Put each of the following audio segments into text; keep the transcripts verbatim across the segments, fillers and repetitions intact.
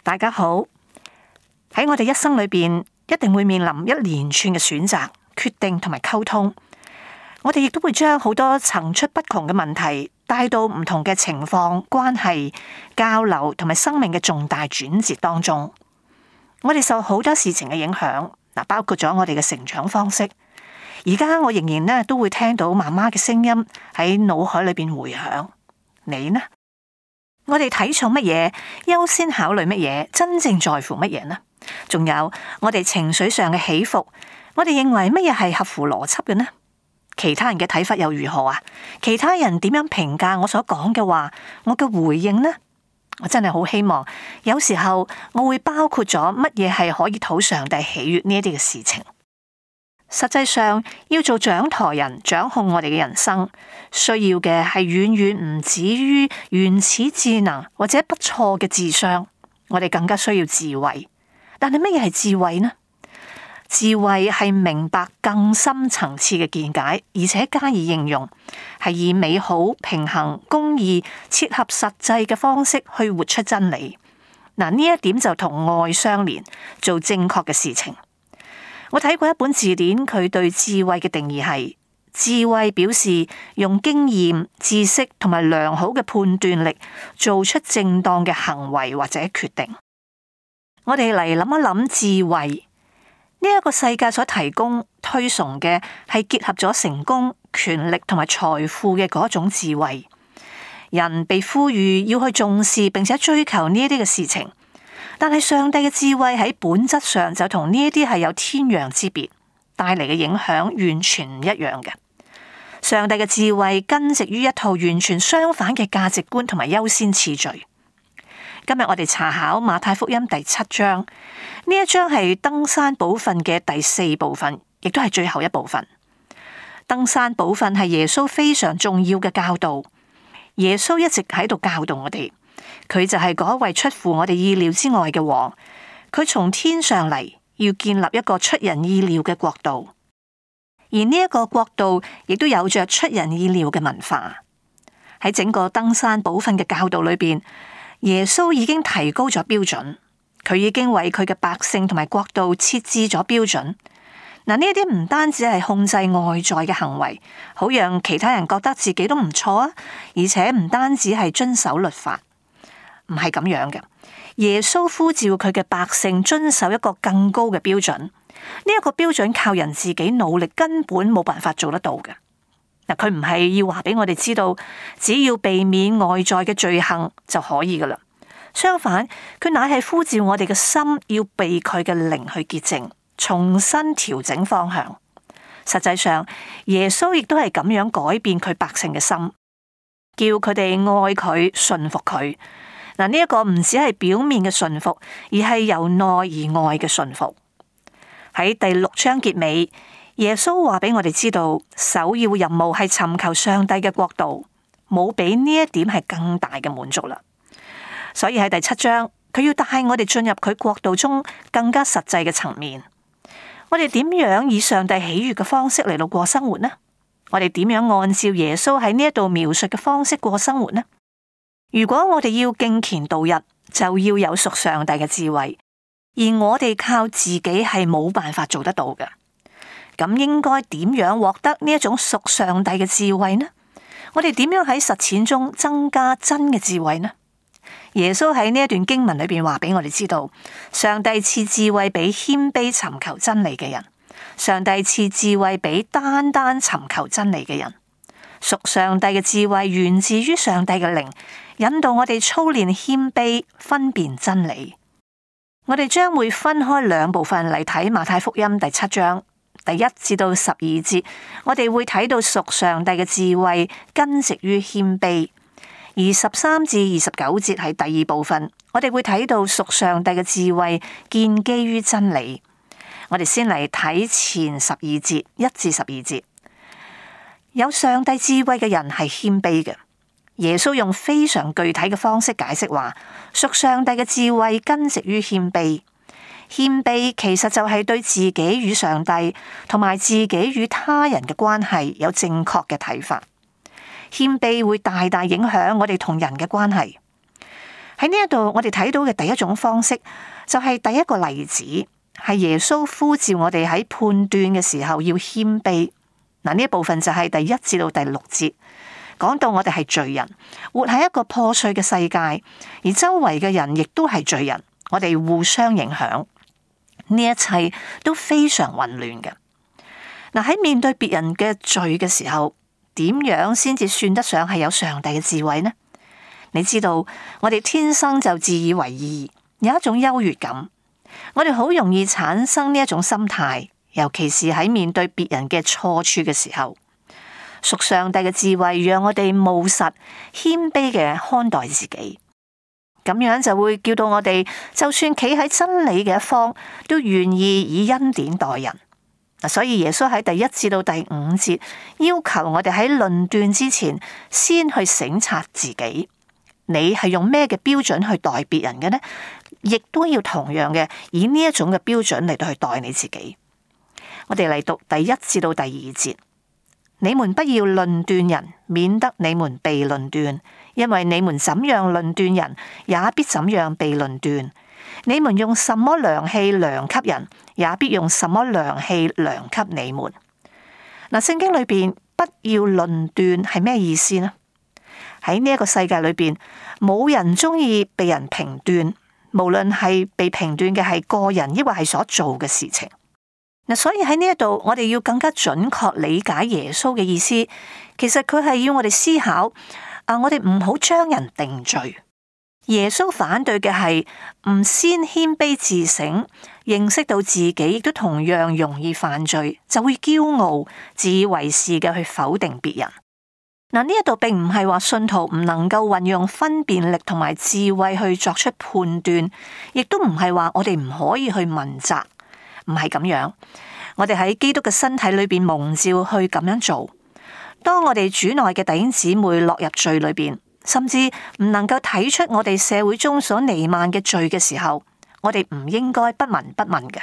大家好。喺我哋一生裏邊，一定會面臨一連串嘅選擇、決定同埋溝通。我哋亦都會將好多層出不窮嘅問題帶到唔同嘅情況、關係、交流同埋生命嘅重大轉折當中。我哋受好多事情嘅影響，嗱，包括咗我哋嘅成長方式。而家我仍然咧都會聽到媽媽嘅聲音喺腦海裏邊回響。你呢？我哋睇重乜嘢？優先考慮乜嘢？真正在乎乜嘢呢？仲有我哋情緒上嘅起伏，我哋認為乜嘢係合乎邏輯嘅呢？其他人嘅睇法又如何啊？其他人點樣評價我所講嘅話？我嘅回應呢？我真係好希望，有時候我會包括咗乜嘢係可以討上帝喜悅呢一啲嘅事情。實際上，要做掌舵人，掌控我哋嘅人生，需要嘅係遠遠唔止於原始智能或者不錯嘅智商，我哋更加需要智慧。但係乜嘢係智慧呢？智慧係明白更深層次嘅見解，而且加以應用，係以美好、平衡、公義、切合實際嘅方式去活出真理。嗱，呢一點就同愛相連，做正確嘅事情。我睇過一本字典，佢對智慧嘅定義係：智慧表示用經驗、知識同埋良好嘅判斷力，做出正當嘅行為或者決定。我哋嚟諗一諗智慧呢一個世界所提供推崇嘅係結合咗成功、權力同埋財富嘅嗰種智慧。人被呼籲要去重視並且追求呢一啲嘅事情。但係上帝嘅智慧喺本質上就同呢一啲係有天壤之別，帶嚟嘅影響完全唔一樣嘅。上帝嘅智慧根植於一套完全相反嘅價值觀同埋優先次序。今日我哋查考馬太福音第七章，呢一章係登山寶訓嘅第四部分，亦都係最後一部分。登山寶訓係耶穌非常重要嘅教導，耶穌一直喺度教導我哋。佢就係嗰位出乎我哋意料之外嘅王，佢從天上嚟，要建立一個出人意料嘅國度，而呢一個國度亦都有着出人意料嘅文化。喺整個登山寶訓嘅教導裏邊，耶穌已經提高咗標準，佢已經為佢嘅百姓同埋國度設置咗標準。嗱，呢一啲唔單止係控制外在嘅行為，好讓其他人覺得自己都唔錯啊，而且唔單止係遵守律法。唔係咁樣嘅，耶穌呼召佢嘅百姓遵守一個更高嘅標準。呢一個標準靠人自己努力根本冇辦法做得到嘅。嗱，佢唔係要話俾我哋知道，只要避免外在嘅罪行就可以噶啦。相反，佢乃係呼召我哋嘅心要被佢嘅靈去潔淨，重新調整方向。實際上，耶穌亦都係咁樣改變佢百姓嘅心，叫佢哋愛佢、順服佢。嗱，呢一個唔只係表面嘅順服，而係由內而外嘅順服。喺第六章結尾，耶穌話俾我哋知道，首要任務係尋求上帝嘅國度，冇比呢一點係更大嘅滿足啦。所以喺第七章，佢要帶我哋進入佢國度中更加實際嘅層面。我哋點樣以上帝喜悦嘅方式嚟到過生活呢？我哋點樣按照耶穌喺呢一度描述嘅方式過生活呢？如果我哋要敬虔度日，就要有屬上帝嘅智慧，而我哋靠自己係冇辦法做得到嘅。咁應該點樣獲得呢一種屬上帝嘅智慧呢？我哋點樣喺實踐中增加真嘅智慧呢？耶穌喺呢一段經文裏邊話俾我哋知道，上帝賜智慧俾謙卑尋求真理嘅人，上帝賜智慧俾單單尋求真理嘅人。屬上帝嘅智慧源自於上帝嘅靈，引導我哋操練謙卑，分辨真理。我哋將會分開兩部分嚟睇馬太福音第七章，第一至到十二節，我哋會睇到屬上帝嘅智慧根植於謙卑；而十三至二十九節係第二部分，我哋會睇到屬上帝嘅智慧建基於真理。我哋先嚟睇前十二節，一至十二節。有上帝智慧嘅人係謙卑嘅。耶穌用非常具體嘅方式解釋話，屬上帝嘅智慧根植於謙卑。謙卑其實就係對自己與上帝同埋自己與他人嘅關係有正確嘅睇法。謙卑會大大影響我哋同人嘅關係。喺呢一度，我哋睇到嘅第一種方式就係第一個例子，係耶穌呼召我哋喺判斷嘅時候要謙卑。嗱，呢一部分就係第一至到第六節，講到我哋係罪人，活喺一個破碎嘅世界，而周圍嘅人亦都係罪人，我哋互相影響，呢一切都非常混亂嘅。嗱，喺面對別人嘅罪嘅時候，點樣先至算得上係有上帝嘅智慧呢？你知道，我哋天生就自以為義，有一種優越感，我哋好容易產生呢一種心態，尤其是喺面對別人嘅錯處嘅時候。屬上帝嘅智慧，讓我哋務實謙卑嘅看待自己，咁樣就會叫到我哋，就算企喺真理嘅一方，都願意以恩典待人。所以耶穌喺第一至到第五節要求我哋喺論斷之前，先去省察自己，你係用咩嘅標準去待別人嘅呢？亦都要同樣嘅以呢一種嘅標準嚟到去待你自己。我哋嚟讀第一至到第二節。你們不要論斷人，免得你們被論斷，因為你們怎樣論斷人，也必怎樣被論斷。你們用什麼量器量給人，也必用什麼量器量給你們。嗱，聖經裏邊不要論斷係咩意思呢？喺呢一個世界裏邊，冇人中意被人評斷，無論係被評斷嘅係個人，抑或係所做嘅事情。所以喺呢一度，我哋要更加準確理解耶穌嘅意思。其實佢係要我哋思考，啊，我哋唔好將人定罪。耶穌反對嘅係唔先謙卑自省，認識到自己亦都同樣容易犯罪，就會驕傲、自以為是嘅去否定別人。嗱，呢一度並唔係話信徒唔能夠運用分辨力同埋智慧去作出判斷，亦都唔係話我哋唔可以去問責。唔係咁樣，我哋喺基督嘅身體裏邊蒙召去咁樣做。當我哋主內嘅弟兄姊妹落入罪裏邊，甚至唔能夠睇出我哋社會中所彌漫嘅罪嘅時候，我哋唔應該不聞不問嘅。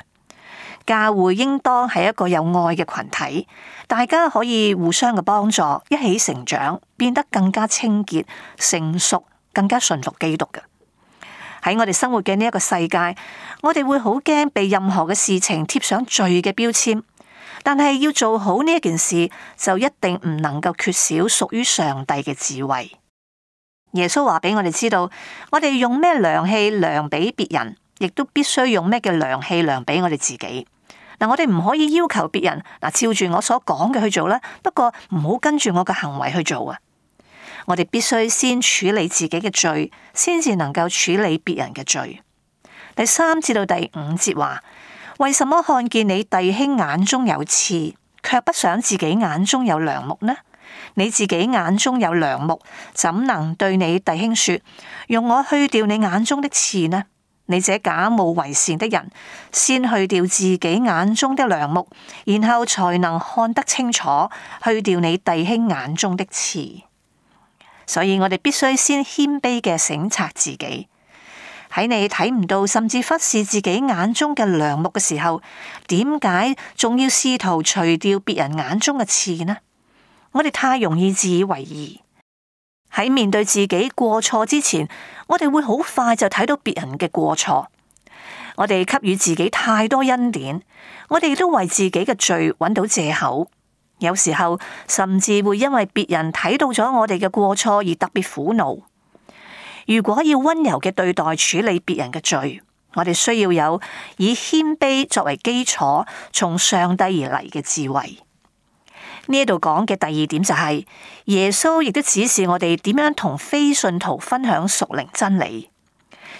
教會應當係一個有愛嘅群體，大家可以互相嘅幫助，一起成長，變得更加清潔、成熟，更加順服基督嘅。喺我哋生活嘅呢一個世界，我哋會好驚被任何嘅事情貼上罪嘅標籤，但係要做好呢一件事，就一定唔能夠缺少屬於上帝嘅智慧。耶穌話俾我哋知道，我哋用咩量器量俾別人，亦都必須用咩嘅量器量俾我哋自己。嗱，我哋唔可以要求別人嗱照住我所講嘅去做啦，不過唔好跟住我嘅行為去做啊。我哋必須先處理自己嘅罪，先至能夠處理別人嘅罪。第三至到第五節話：為什麼看見你弟兄眼中有刺，卻不想自己眼中有梁木呢？你自己眼中有梁木，怎能對你弟兄說：用我去掉你眼中的刺呢？你這假冒為善的人，先去掉自己眼中的梁木，然後才能看得清楚，去掉你弟兄眼中的刺。所以我哋必須先謙卑嘅省察自己。喺你睇唔到甚至忽視自己眼中嘅梁木嘅時候，點解仲要試圖除掉別人眼中嘅刺呢？我哋太容易自以為義。喺面對自己過錯之前，我哋會好快就睇到別人嘅過錯。我哋給予自己太多恩典，我哋亦都為自己嘅罪揾到借口。有時候甚至會因為別人睇到咗我哋嘅過錯而特別苦惱。如果要溫柔嘅對待處理別人嘅罪，我哋需要有以謙卑作為基礎，從上帝而嚟嘅智慧。呢度講嘅第二點就係、是、耶穌亦都指示我哋點樣同非信徒分享屬靈真理。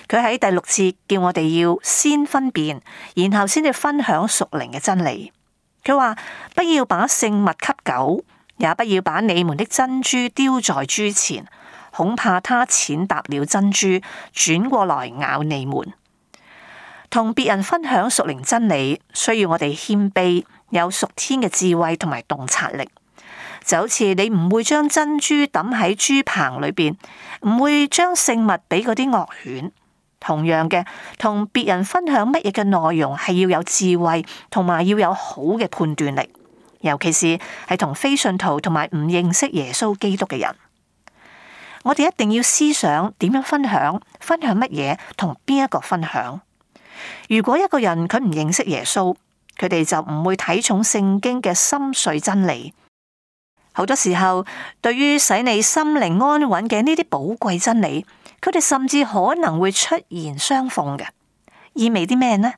佢喺第六節叫我哋要先分辨，然後先至分享屬靈嘅真理。佢話：不要把聖物給狗，也不要把你們的珍珠丟在豬前，恐怕它踐踏了珍珠，轉過來咬你們。同別人分享屬靈真理，需要我哋謙卑，有屬天嘅智慧同埋洞察力。就好似你唔會將珍珠抌喺豬棚裏邊，唔會將聖物俾嗰啲惡犬。同樣嘅，同別人分享乜嘢嘅內容係要有智慧，同埋要有好嘅判斷力，尤其是係同非信徒同埋唔認識耶穌基督嘅人。我哋一定要思想點樣分享，分享乜嘢，同邊一個分享。如果一個人佢唔認識耶穌，佢哋就唔會睇重聖經嘅深邃真理。好多時候，對於使你心靈安穩嘅呢啲寶貴真理，佢哋甚至可能會出言相諷嘅。意味啲咩呢？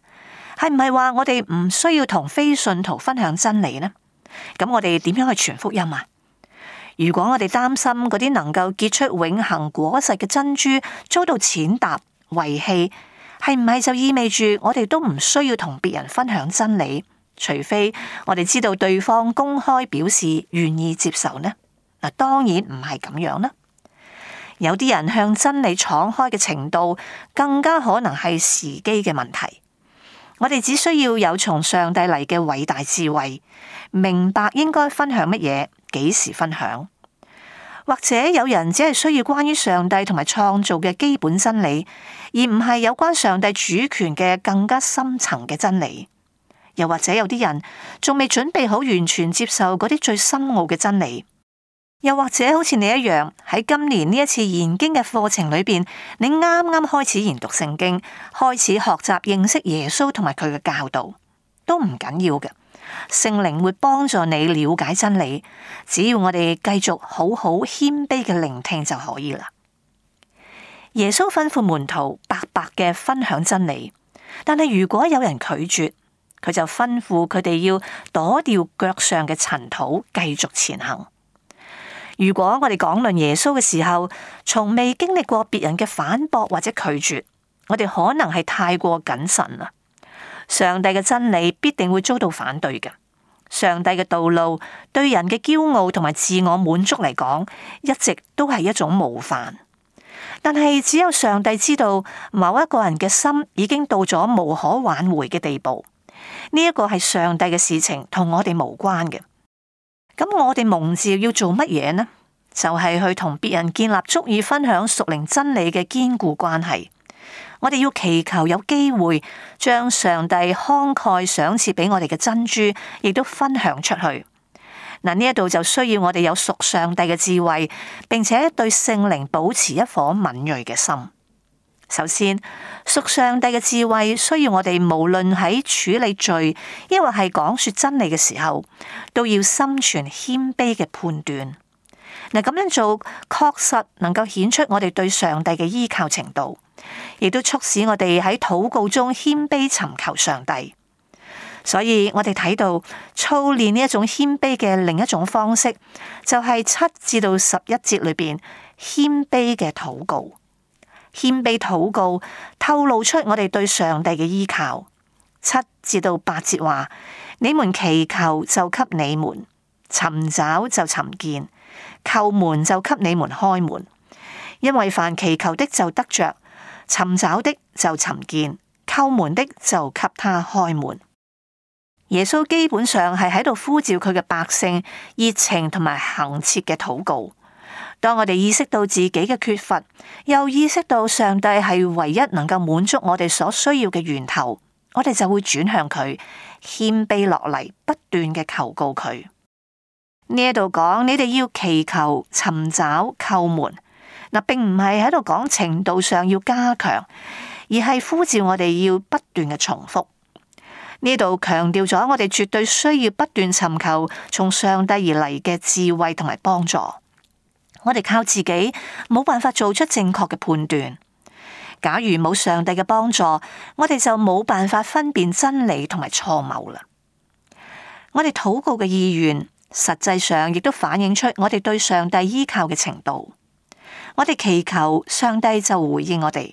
係唔係話我哋唔需要同非信徒分享真理呢？咁我哋點樣去傳福音啊？如果我哋擔心嗰啲能夠結出永恆果實嘅珍珠遭到踐踏遺棄，係唔係就意味住我哋都唔需要同別人分享真理？除非我哋知道對方公開表示願意接受呢？嗱，當然唔係咁樣啦。有啲人向真理敞開嘅程度，更加可能係時機嘅問題。我哋只需要有從上帝嚟嘅偉大智慧，明白應該分享乜嘢，幾時分享。或者有人只係需要關於上帝同埋創造嘅基本真理，而唔係有關上帝主權嘅更加深層嘅真理。又或者有啲人仲未準備好完全接受嗰啲最深奧嘅真理。又或者好似你一樣，喺今年呢一次研經嘅課程裏邊，你啱啱開始研讀聖經，開始學習認識耶穌同埋佢嘅教導，都唔緊要嘅。聖靈會幫助你了解真理，只要我哋繼續好好謙卑嘅聆聽就可以啦。耶穌吩咐門徒白白嘅分享真理，但係如果有人拒絕，佢就吩咐佢哋要躲掉腳上嘅塵土，繼續前行。如果我哋講論耶穌嘅時候，從未經歷過別人嘅反駁或者拒絕，我哋可能係太過謹慎啦。上帝嘅真理必定會遭到反對嘅。上帝嘅道路對人嘅驕傲同埋自我滿足嚟講，一直都係一種冒犯。但係只有上帝知道某一個人嘅心已經到咗無可挽回嘅地步，呢一個係上帝嘅事情，同我哋無關嘅。咁我哋蒙召要做乜嘢呢？就係去同別人建立足以分享屬靈真理嘅堅固關係。我哋要祈求有機會將上帝慷慨賞賜俾我哋嘅珍珠，亦都分享出去。嗱，呢一度就需要我哋有屬上帝嘅智慧，並且對聖靈保持一顆敏銳嘅心。首先，屬上帝嘅智慧需要我哋無論喺處理罪，抑或係講說真理嘅時候，都要心存謙卑嘅判斷。嗱，咁樣做確實能夠顯出我哋對上帝嘅依靠程度，亦都促使我哋喺禱告中謙卑尋求上帝。所以我哋睇到操練呢一種謙卑嘅另一種方式，就係七至到十一節裏邊謙卑嘅禱告。謙卑禱告透露出我哋對上帝嘅依靠。七至到八節話：你們祈求就給你們，尋找就尋見，叩門就給你們開門。因為凡祈求的就得着，尋找的就尋見，叩門的就給他開門。耶穌基本上係喺度呼召佢嘅百姓熱情同埋恆切嘅禱告。當我哋意識到自己嘅缺乏，又意識到上帝係唯一能夠滿足我哋所需要嘅源頭，我哋就會轉向佢，謙卑落嚟，不斷嘅求告佢。呢一度講，你哋要祈求、尋找、叩門，嗱，並唔係喺度講程度上要加強，而係呼召我哋要不斷嘅重複。呢度強調咗我哋絕對需要不斷尋求從上帝而嚟嘅智慧同埋幫助。我哋靠自己冇辦法做出正確嘅判斷。假如冇上帝嘅幫助，我哋就冇辦法分辨真理同埋錯謬啦。我哋禱告嘅意願，實際上亦都反映出我哋對上帝依靠嘅程度。我哋祈求，上帝就回應我哋。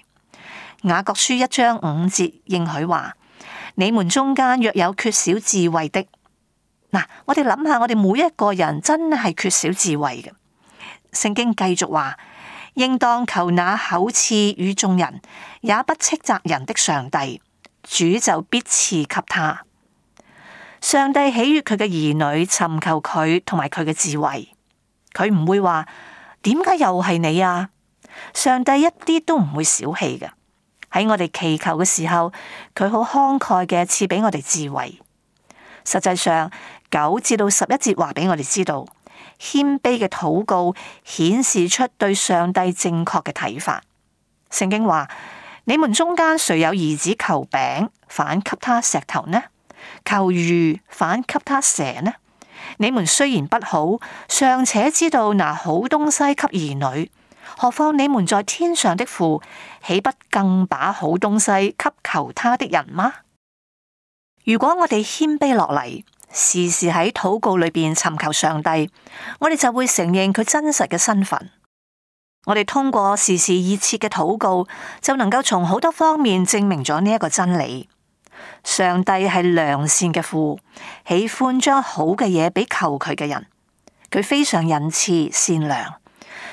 雅各書一章五節應許話：你們中間若有缺少智慧的，嗱，我哋諗下，我哋每一個人真係缺少智慧嘅。聖經繼續話，應當求那厚賜與眾人，也不斥責人的上帝，主就必賜給他。上帝喜悅佢嘅兒女尋求佢同埋佢嘅智慧，佢唔會話點解又係你啊？上帝一啲都唔會小氣嘅。喺我哋祈求嘅時候，佢好慷慨嘅賜俾我哋智慧。實際上九至到十一節話俾我哋知道，謙卑嘅禱告顯示出對上帝正確嘅睇法。聖經話：你們中間誰有兒子求餅，反給他石頭呢？求魚，反給他蛇呢？你們雖然不好，尚且知道拿好東西給兒女，何況你們在天上的父，豈不更把好東西給求他的人嗎？如果我哋謙卑落嚟，時時喺禱告裏邊尋求上帝，我哋就會承認佢真實嘅身份。我哋通過時時熱切嘅禱告，就能夠從好多方面證明咗呢一個真理。上帝係良善嘅父，喜歡將好嘅嘢俾求佢嘅人。佢非常仁慈善良。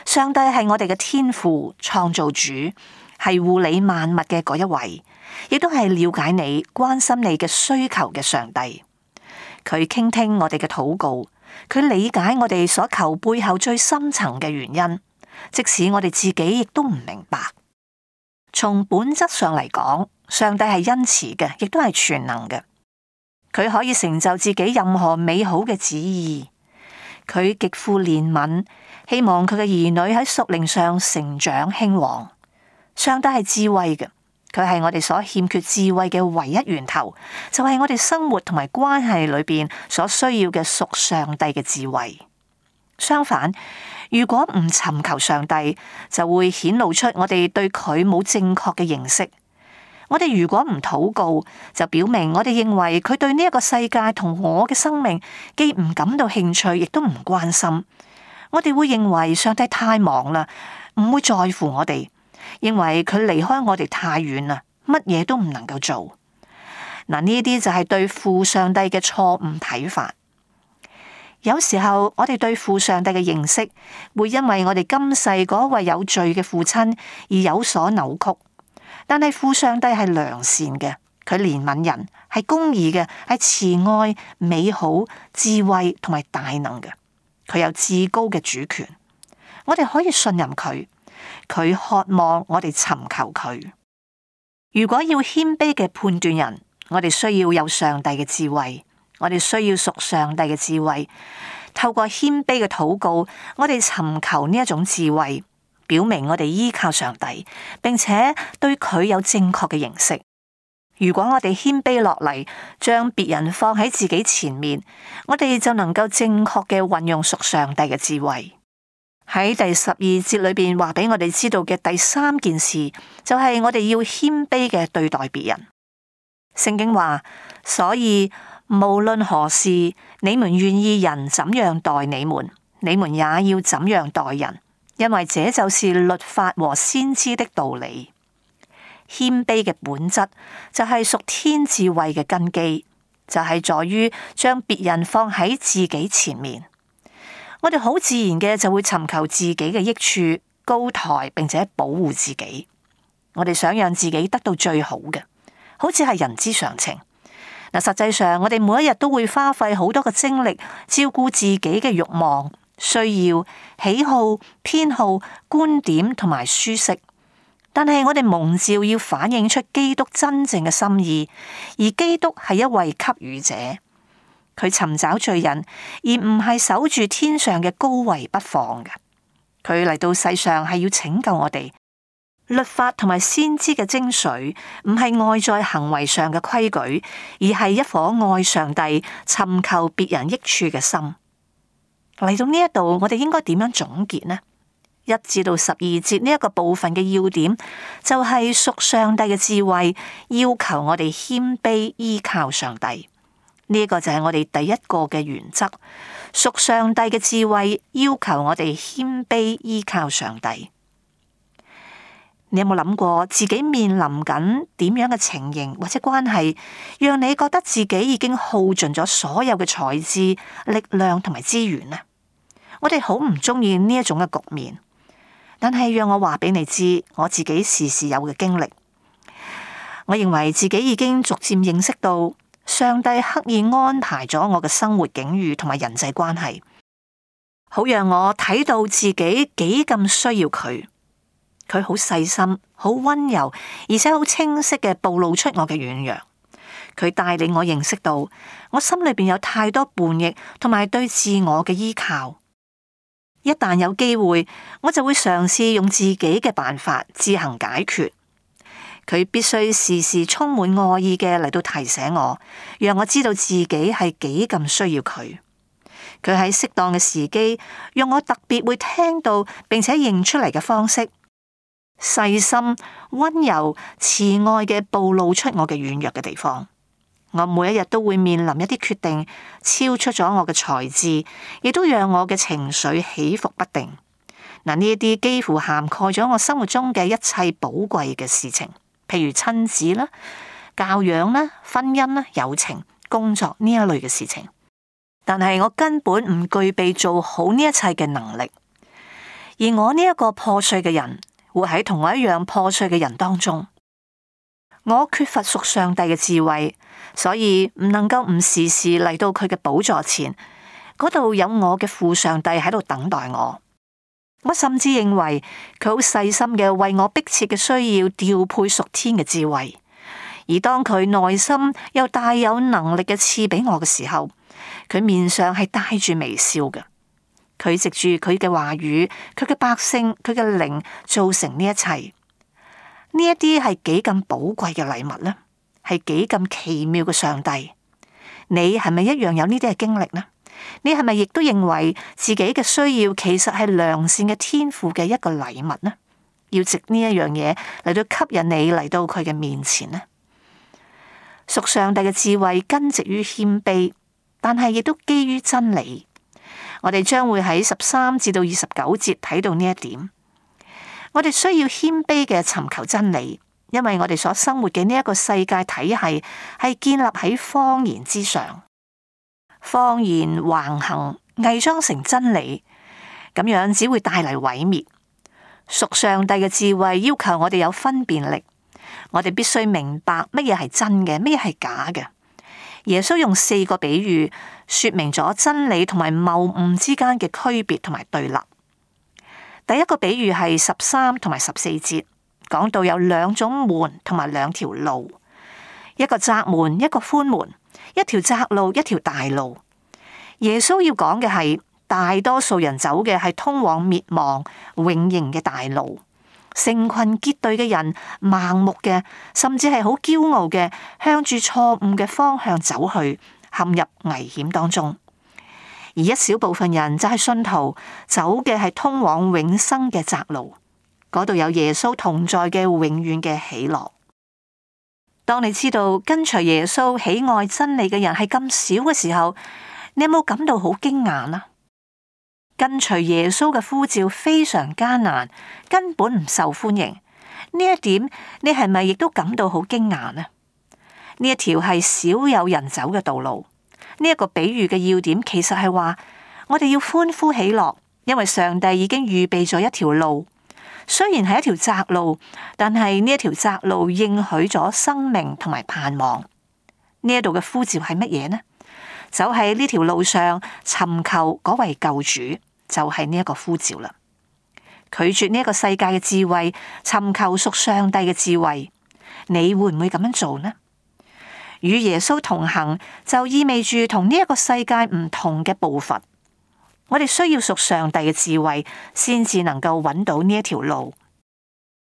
上帝係我哋嘅天父創造主，係護理萬物嘅嗰一位，亦都係了解你、關心你嘅需求嘅上帝。佢傾聽我哋嘅禱告，佢理解我哋所求背後最深層嘅原因，即使我哋自己亦都唔明白。從本質上嚟講，上帝係恩慈嘅，亦都係全能嘅。佢可以成就自己任何美好嘅旨意。佢極富憐憫，希望佢嘅兒女喺屬靈上成長興旺。上帝係智慧嘅，佢係我哋所欠缺智慧嘅唯一源頭，就係我哋生活同埋關係裏邊所需要嘅屬上帝嘅智慧。相反，如果唔尋求上帝，就會顯露出我哋對佢冇正確嘅認識。我哋如果唔禱告，就表明我哋認為佢對呢一個世界同我嘅生命既唔感到興趣，亦都唔關心。我哋會認為上帝太忙啦，唔會在乎我哋，認為佢離開我哋太遠啦，乜嘢都唔能夠做。嗱，呢啲就係對父上帝嘅錯誤睇法。有時候我哋對父上帝嘅認識，會因為我哋今世嗰位有罪嘅父親而有所扭曲。但係父上帝係良善嘅，佢憐憫人，係公義嘅，係慈愛、美好、智慧同埋大能嘅。佢有至高嘅主權，我哋可以信任佢。佢渴望我哋尋求佢。如果要謙卑嘅判斷人，我哋需要有上帝嘅智慧，我哋需要屬上帝嘅智慧。透過謙卑嘅禱告，我哋尋求呢一種智慧。表明我哋依靠上帝，並且對佢有正確嘅認識。如果我哋謙卑落嚟，將別人放喺自己前面，我哋就能夠正確嘅運用屬上帝嘅智慧。喺第十二節裏邊話俾我哋知道嘅第三件事，就係我哋要謙卑嘅對待別人。聖經話：所以無論何事，你們願意人怎樣待你們，你們也要怎樣待人。因為這就是律法和先知的道理。謙卑嘅本質就係屬天智慧嘅根基，就係在於將別人放喺自己前面。我哋好自然嘅就會尋求自己嘅益處，高抬並且保護自己。我哋想讓自己得到最好嘅，好似係人之常情。嗱，實際上我哋每一日都會花費好多嘅精力照顧自己嘅慾望、需要、喜好、偏好、觀點同埋舒適，但係我哋蒙召要反映出基督真正嘅心意，而基督係一位給予者，佢尋找罪人，而唔係守住天上嘅高位不放嘅。佢嚟到世上係要拯救我哋。律法同埋先知嘅精髓，唔係外在行為上嘅規矩，而係一顆愛上帝、尋求別人益處嘅心。嚟到呢一度，我哋應該點樣總結呢？一至到十二節呢一個部分嘅要點，就係屬上帝嘅智慧，要求我哋謙卑依靠上帝。呢一個就係我哋第一個嘅原則。屬上帝嘅智慧，要求我哋謙卑依靠上帝。你有冇諗過自己面臨緊點樣嘅情形或者關係，讓你覺得自己已經耗盡咗所有嘅才智、力量同埋資源呢？我哋好唔中意呢一種嘅局面，但係讓我話俾你知，我自己時時有嘅經歷。我認為自己已經逐漸認識到，上帝刻意安排咗我嘅生活境遇同埋人際關係，好讓我睇到自己幾咁需要佢。佢好細心、好溫柔，而且好清晰嘅暴露出我嘅軟弱。佢帶領我認識到，我心裏邊有太多叛逆同埋對自我嘅依靠。一旦有機會，我就會嘗試用自己嘅辦法自行解決。佢必須時時充滿愛意嘅嚟到提醒我，讓我知道自己係幾咁需要佢。佢喺適當嘅時機，用我特別會聽到並且認出嚟嘅方式，細心、溫柔、慈愛嘅暴露出我嘅軟弱嘅地方。我每一日都會面臨一啲決定，超出咗我嘅才智，亦都讓我嘅情緒起伏不定。嗱，呢一啲幾乎涵蓋咗我生活中嘅一切寶貴嘅事情，譬如親子啦、教養啦、婚姻啦、友情、工作呢一類嘅事情。但係我根本唔具備做好呢一切嘅能力，而我呢一個破碎嘅人，活喺同我一樣破碎嘅人當中。我缺乏屬上帝嘅智慧，所以唔能夠唔時時嚟到佢嘅寶座前，嗰度有我嘅父上帝喺度等待我。我甚至認為佢好細心嘅為我迫切嘅需要調配屬天嘅智慧，而當佢內心又大有能力嘅賜俾我嘅時候，佢面上係帶住微笑嘅。佢藉住佢嘅話語，佢嘅百姓，佢嘅靈造成呢一切。呢一啲係幾咁寶貴嘅禮物呢？係幾咁奇妙嘅上帝？你係咪一樣有呢啲嘅經歷呢？你係咪亦都認為自己嘅需要其實係良善嘅天父嘅一個禮物呢？要藉呢一樣嘢嚟到吸引你嚟到佢嘅面前呢？屬上帝嘅智慧根植於謙卑，但係亦都基於真理。我哋將會喺十三至到二十九節睇到呢一點。我哋需要謙卑嘅尋求真理，因為我哋所生活嘅呢一個世界體系係建立喺謊言之上，謊言橫行，偽裝成真理，咁樣只會帶嚟毀滅。屬上帝嘅智慧要求我哋有分辨力，我哋必須明白乜嘢係真嘅，乜嘢係假嘅。耶穌用四個比喻說明咗真理同埋謬誤之間嘅區別同埋對立。第一個比喻係十三同埋十四節，講到有兩種門同埋兩條路，一個窄門，一個寬門，一條窄路，一條大路。耶穌要講嘅係大多數人走嘅係通往滅亡永刑嘅大路，成群結隊嘅人盲目嘅，甚至係好驕傲嘅，向住錯誤嘅方向走去，陷入危險當中。而一小部分人就係信徒，走嘅係通往永生嘅窄路，嗰度有耶穌同在嘅永遠嘅喜樂。當你知道跟隨耶穌喜愛真理嘅人係咁少嘅時候，你有冇感到好驚訝呢？跟隨耶穌嘅呼召非常艱難，根本唔受歡迎。呢一點你係咪亦都感到好驚訝呢？呢一條係少有人走嘅道路。呢一個比喻嘅要點其實係話，我哋要歡呼喜樂，因為上帝已經預備咗一條路。雖然係一條窄路，但係呢一條窄路應許咗生命同埋盼望。呢一度嘅呼召係乜嘢呢？走喺呢條路上尋求嗰位救主，就係呢一個呼召啦。拒絕呢一個世界嘅智慧，尋求屬上帝嘅智慧，你會唔會咁樣做呢？與耶穌同行就意味住同呢一個世界唔同嘅步伐。我哋需要屬上帝嘅智慧，先至能夠揾到呢一條路，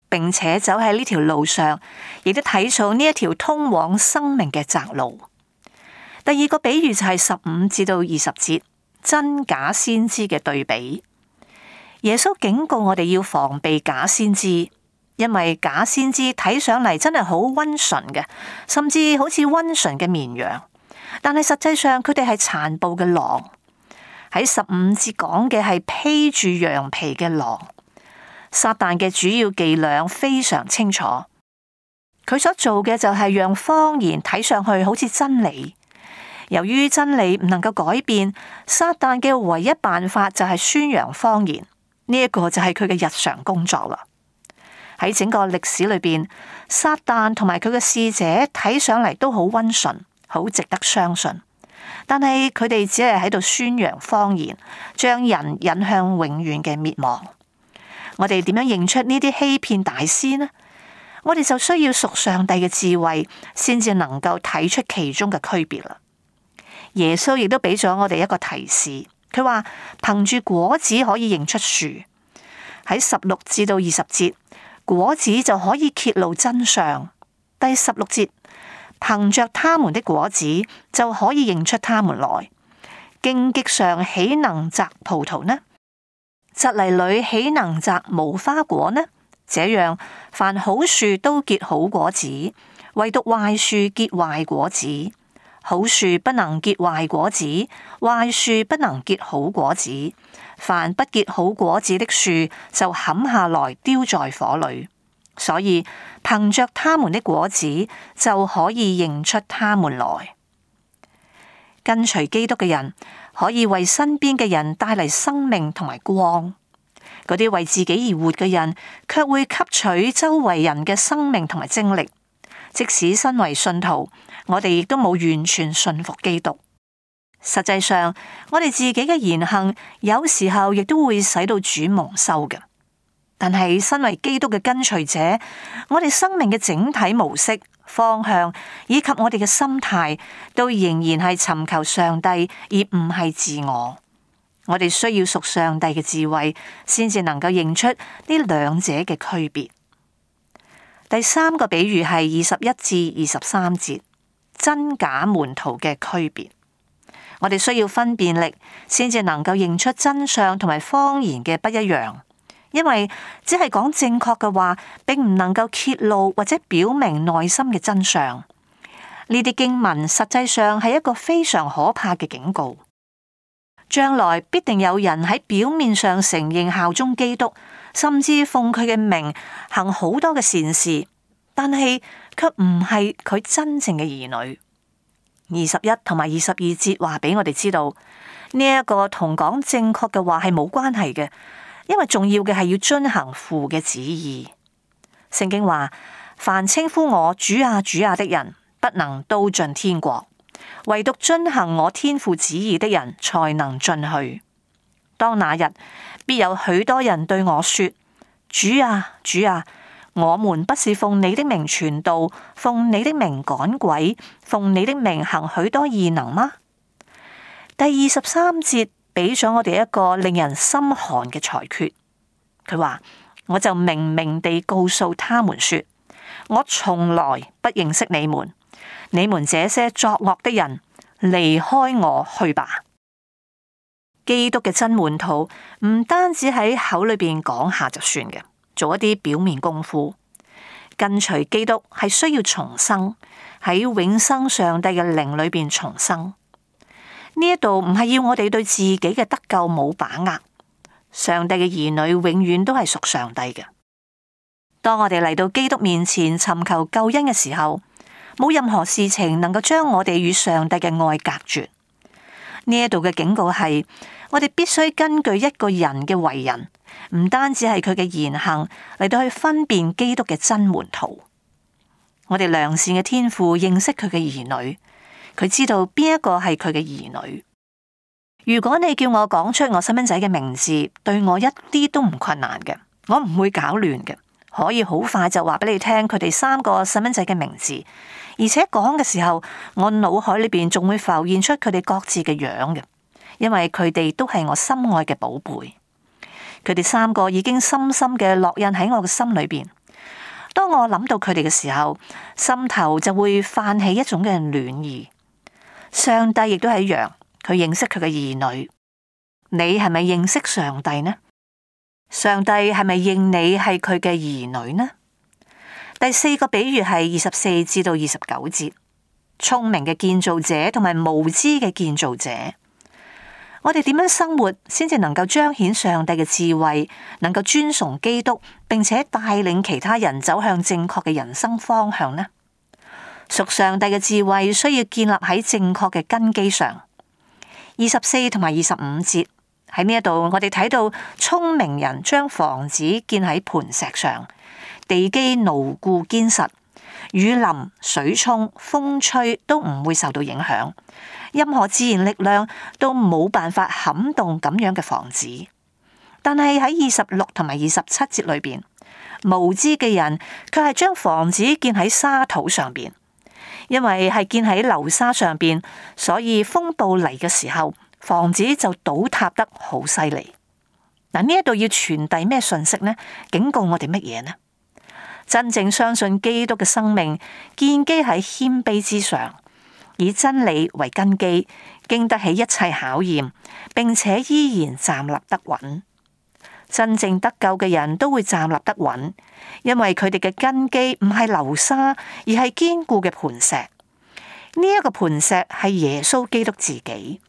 並且走喺呢條路上，亦都睇重呢一條通往生命嘅窄路。第二個比喻就係十五至到二十節，真假先知嘅對比。耶穌警告我哋要防備假先知。因為假先知睇上嚟真係好溫順嘅，甚至好似溫順嘅綿羊，但係實際上佢哋係殘暴嘅狼。喺十五節講嘅係披住羊皮嘅狼。撒旦嘅主要伎倆非常清楚，佢所做嘅就係讓謊言睇上去好似真理。由於真理唔能夠改變，撒旦嘅唯一辦法就係宣揚謊言。呢一個就係佢嘅日常工作啦。喺整個歷史裏邊，撒旦同埋佢嘅使者睇上嚟都好溫順，好值得相信。但係佢哋只係喺度宣揚謊言，將人引向永遠嘅滅亡。我哋點樣認出呢啲欺騙大師呢？我哋就需要屬上帝嘅智慧，先至能夠睇出其中嘅區別啦。耶穌亦都俾咗我哋一個提示，佢話憑住果子可以認出樹。喺十六至到二十節，果子就可以揭露真相。第十六節，憑着他們的果子就可以認出他們來。荊棘上豈能摘葡萄呢？蒺藜裏豈能摘無花果呢？這樣，凡好樹都結好果子，唯獨壞樹結壞果子。好樹不能結壞果子，壞樹不能結好果子。凡不結好果子的樹，就砍下來丟在火裏。所以憑着他們的果子，就可以認出他們來。跟隨基督嘅人，可以為身邊嘅人帶嚟生命同埋光。嗰啲為自己而活嘅人，卻會吸取周圍人嘅生命同埋精力。即使身為信徒，我哋亦都冇完全信服基督。實際上，我哋自己嘅言行，有時候亦都會使到主蒙羞嘅。但係身為基督嘅跟隨者，我哋生命嘅整體模式、方向以及我哋嘅心態，都仍然係尋求上帝，而唔係自我。我哋需要屬上帝嘅智慧，先至能夠認出呢兩者嘅區別。第三個比喻係二十一至二十三節，真假門徒嘅區別。我哋需要分辨力，先至能夠認出真相同埋謊言嘅不一樣。因為只係講正確嘅話，並唔能夠揭露或者表明內心嘅真相。呢啲經文實際上係一個非常可怕嘅警告。將來必定有人喺表面上承認效忠基督，甚至奉佢嘅名行好多嘅善事，但係卻唔係佢真正嘅兒女。二十一同埋二十二節話俾我哋知道，呢一個同講正確嘅話係冇關係嘅。因為重要嘅係要遵行父嘅旨意。聖經話：凡稱呼我主啊主啊的人，不能都進天國；唯獨遵行我天父旨意的人，才能進去。當那日，必有許多人對我說：主啊主啊，我們不是奉你的名傳道，奉你的名趕鬼，奉你的名行許多異能嗎？第二十三節。俾咗我哋一個令人心寒嘅裁決。佢話：我就明明地告訴他們說，我從來不認識你們，你們這些作惡的人，離開我去吧。基督嘅真門徒唔單止喺口裏邊講下就算嘅，做一啲表面功夫。跟隨基督係需要重生，喺永生上帝嘅靈裏邊重生。呢一度唔係要我哋對自己嘅得救冇把握，上帝嘅兒女永遠都係屬上帝嘅。當我哋嚟到基督面前尋求救恩嘅時候，冇任何事情能夠將我哋與上帝嘅愛隔絕。呢一度嘅警告係，我哋必須根據一個人嘅為人，唔單止係佢嘅言行嚟到去分辨基督嘅真門徒。我哋良善嘅天父認識佢嘅兒女。佢知道邊一個係佢嘅兒女。如果你叫我講出我細蚊仔嘅名字，對我一啲都唔困難嘅，我唔會搞亂嘅，可以好快就話俾你聽佢哋三個細蚊仔嘅名字，而且講嘅時候，我腦海裏邊仲會浮現出佢哋各自嘅樣嘅，因為佢哋都係我心愛嘅寶貝。佢哋三個已經深深嘅烙印喺我嘅心裏邊。當我諗到佢哋嘅時候，心頭就會泛起一種嘅暖意。上帝亦都係一樣，佢認識佢嘅兒女。你係咪認識上帝呢？上帝係咪認你係佢嘅兒女呢？第四個比喻係二十四至到二十九節，聰明嘅建造者同埋無知嘅建造者。我哋點樣生活先至能夠彰顯上帝嘅智慧，能夠尊崇基督，並且帶領其他人走向正確嘅人生方向呢？屬上帝嘅智慧需要建立喺正確嘅根基上。二十四同埋二十五節喺呢一度，我哋睇到聰明人將房子建喺磐石上，地基牢固堅實，雨淋、水沖、風吹都唔會受到影響，任何自然力量都冇辦法撼動咁樣嘅房子。但係喺二十六同埋二十七節裏邊，無知嘅人卻係將房子建喺沙土上邊。因為係建喺流沙上邊，所以風暴嚟嘅時候，房子就倒塌得好犀利。嗱，呢一度要傳遞咩信息呢？警告我哋乜嘢呢？真正相信基督嘅生命，建基喺謙卑之上，以真理為根基，經得起一切考驗，並且依然站立得穩。真正得救嘅人都會站立得穩，因為佢哋嘅根基唔係流沙，而係堅固嘅磐石。呢、這、一個磐石係耶穌基督自己。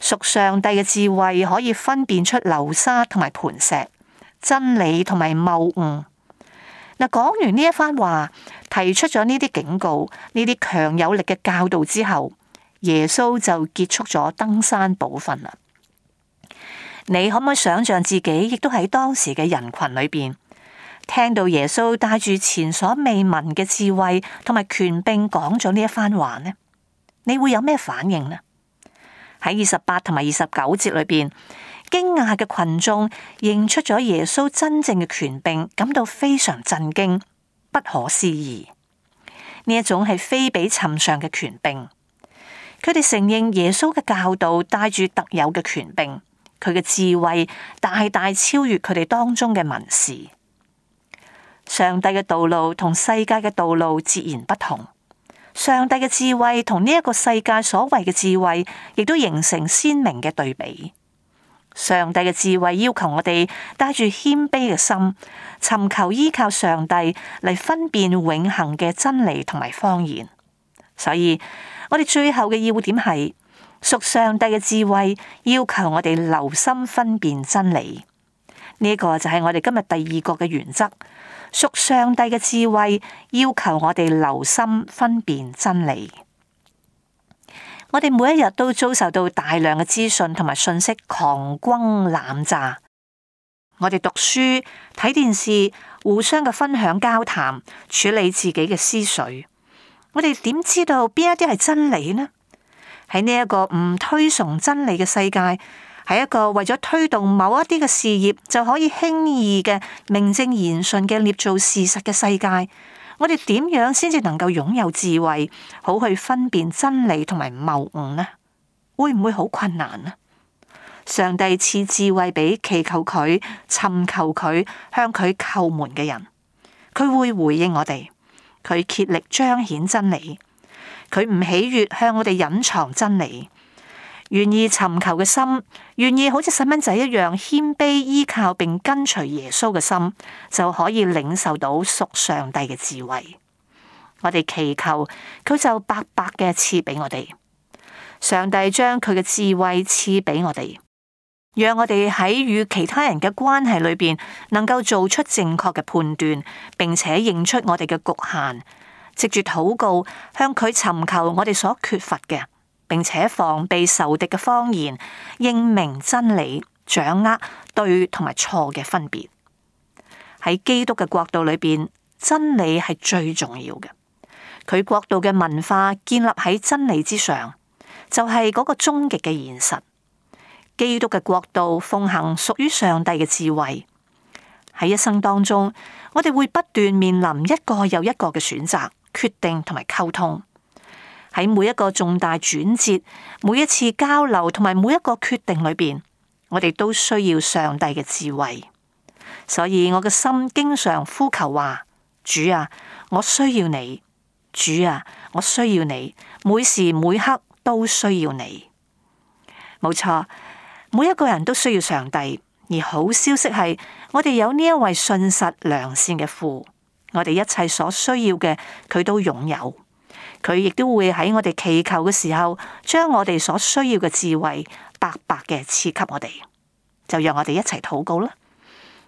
屬上帝嘅智慧可以分辨出流沙同埋磐石，真理同埋謬誤。嗱，講完呢一番話，提出咗呢啲警告、呢啲強有力嘅教導之後，耶穌就結束咗登山寶訓啦。你可唔可以想象自己亦都喺當時嘅人群裏邊，聽到耶穌帶住前所未聞嘅智慧同埋權柄講咗呢一番話呢？你會有咩反應呢？喺二十八同埋二十九節裏邊，驚訝嘅群眾認出咗耶穌真正嘅權柄，感到非常震驚，不可思議。呢一種係非比尋常嘅權柄，佢哋承認耶穌嘅教導帶住特有嘅權柄，佢嘅智慧大大超越佢哋當中嘅文士。上帝嘅道路同世界嘅道路截然不同。上帝嘅智慧同呢一個世界所謂嘅智慧，亦都形成鮮明嘅對比。上帝嘅智慧要求我哋帶住謙卑嘅心，尋求依靠上帝嚟分辨永恆嘅真理同埋謊言。所以我哋最後嘅要點係，屬上帝嘅智慧要求我哋留心分辨真理。呢、這個就係我哋今日第二個嘅原則。屬上帝嘅智慧要求我哋留心分辨真理。我哋每一日都遭受到大量嘅資訊同埋信息狂轟濫炸。我哋讀書、睇電視，互相嘅分享交談，處理自己嘅思緒。我哋點知道邊一啲係真理呢？喺呢一個唔推崇真理嘅世界，係一個為咗推動某一啲嘅事業就可以輕易嘅名正言順嘅捏造事實嘅世界，我哋點樣先至能夠擁有智慧，好去分辨真理同埋謬誤呢？會唔會好困難呢？上帝賜智慧俾祈求佢、尋求佢、向佢叩門嘅人，佢會回應我哋，佢竭力彰顯真理，佢唔喜悅向我哋隱藏真理。願意尋求嘅心，願意好似細蚊仔一樣謙卑依靠並跟隨耶穌嘅心，就可以領受到屬上帝嘅智慧。我哋祈求，佢就白白嘅賜俾我哋。上帝將佢嘅智慧賜俾我哋，讓我哋喺與其他人嘅關係裏邊，能夠做出正確嘅判斷，並且認出我哋嘅局限，藉住禱告向佢尋求我哋所缺乏嘅。並且防備仇敵嘅謊言，認明真理，掌握對同埋錯嘅分別。喺基督嘅國度裏邊，真理係最重要嘅。佢國度嘅文化建立喺真理之上，就係嗰個終極嘅現實。基督嘅國度奉行屬於上帝嘅智慧。喺一生當中，我哋會不斷面臨一個又一個嘅選擇、決定同埋溝通。喺每一個重大轉折、每一次交流同埋每一個決定裏邊，我哋都需要上帝嘅智慧。所以我嘅心經常呼求話：主啊，我需要你；主啊，我需要你，每時每刻都需要你。冇錯，每一個人都需要上帝。而好消息係，我哋有呢一位信實良善嘅父，我哋一切所需要嘅，佢都擁有。佢亦都會喺我哋祈求嘅時候，將我哋所需要嘅智慧白白嘅賜給我哋。就讓我哋一齊禱告啦。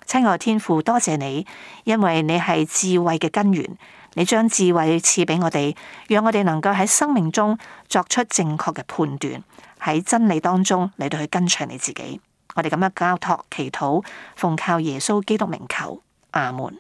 親愛天父，多謝你，因為你係智慧嘅根源，你將智慧賜俾我哋，讓我哋能夠喺生命中作出正確嘅判斷，喺真理當中嚟到去跟隨你自己。我哋咁樣交託祈禱，奉靠耶穌基督名求，阿門。